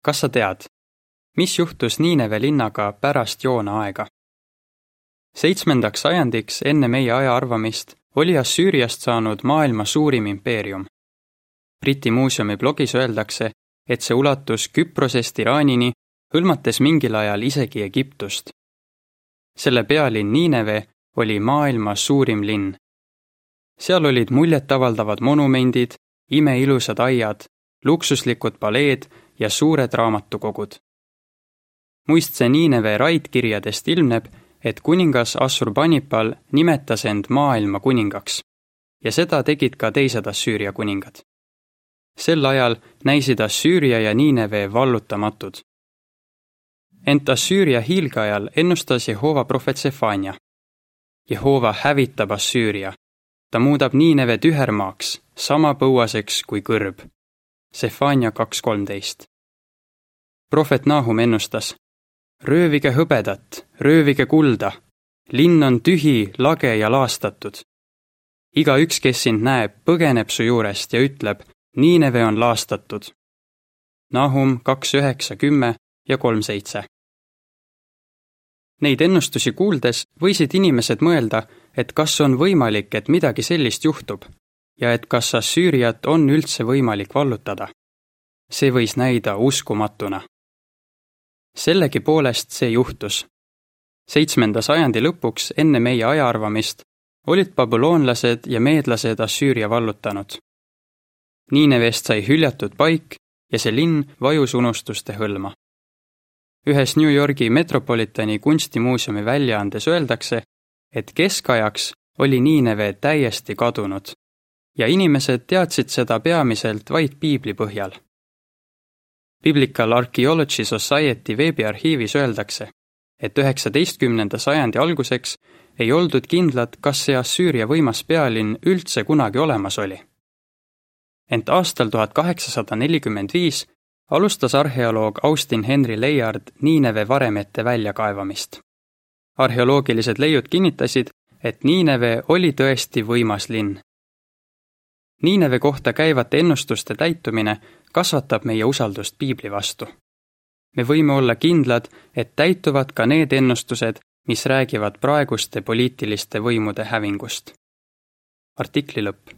Kas sa tead, mis juhtus Niineve linnaga pärast Joona aega? 7. sajandiks enne meie aja arvamist oli Assüüriast saanud maailma suurim impeerium. Briti muuseumi blogis öeldakse, et see ulatus Küprosest Iraanini, hõlmates mingil ajal isegi Egiptust. Selle pealinn Niineve oli maailma suurim linn. Seal olid muljetavaldavad monumendid, imeilusad aiad, luksuslikud paleed ja suured raamatukogud. Muistse Niineve raidkirjadest ilmneb, et kuningas Assurbanipal nimetas end maailma kuningaks ja seda tegid ka teised Assüüria kuningad. Sel ajal näisid Assüüria ja Niineve vallutamatud. Ent Assüüria hiilgeajal ennustas Jehova prohvet Sefania. Jehova hävitab Assüüria. Ta muudab Niineve tühermaaks, sama põuaseks kui kõrb. Sefania 2.13. Prohvet Nahum ennustas: röövige hõbedat, röövige kulda. Linn on tühi, lage ja laastatud. Igaüks, kes sind näeb, põgeneb su juurest ja ütleb: Niineve on laastatud. Nahum 2.9, 10 ja 3.7. Neid ennustusi kuuldes võisid inimesed mõelda, et kas on võimalik, et midagi sellist juhtub ja et kas Assüüriat on üldse võimalik vallutada. See võis näida uskumatuna. Sellegi poolest see juhtus. 7. sajandi lõpuks enne meie ajaarvamist olid babüloonlased ja meedlased Assüüria vallutanud. Niinevest sai hüljatud paik ja see linn vajus unustuste hõlma. Ühes New Yorgi Metropolitani kunstimuuseumi väljaandes öeldakse, et keskajaks oli Niineve täiesti kadunud ja inimesed teadsid seda peamiselt vaid piibli põhjal. Biblical Archaeology Society veebiarhiivis öeldakse, et 19. sajandi alguseks ei oldud kindlad, kas see Assüüria võimas pealinn üldse kunagi olemas oli. Ent aastal 1845 alustas arheoloog Austin Henry Layard Niineve varemete väljakaevamist. Arheoloogilised leiud kinnitasid, et Niineve oli tõesti võimas linn. Niineve kohta käivate ennustuste täitumine kasvatab meie usaldust piibli vastu. Me võime olla kindlad, et täituvad ka need ennustused, mis räägivad praeguste poliitiliste võimude hävingust. Artikli lõpp.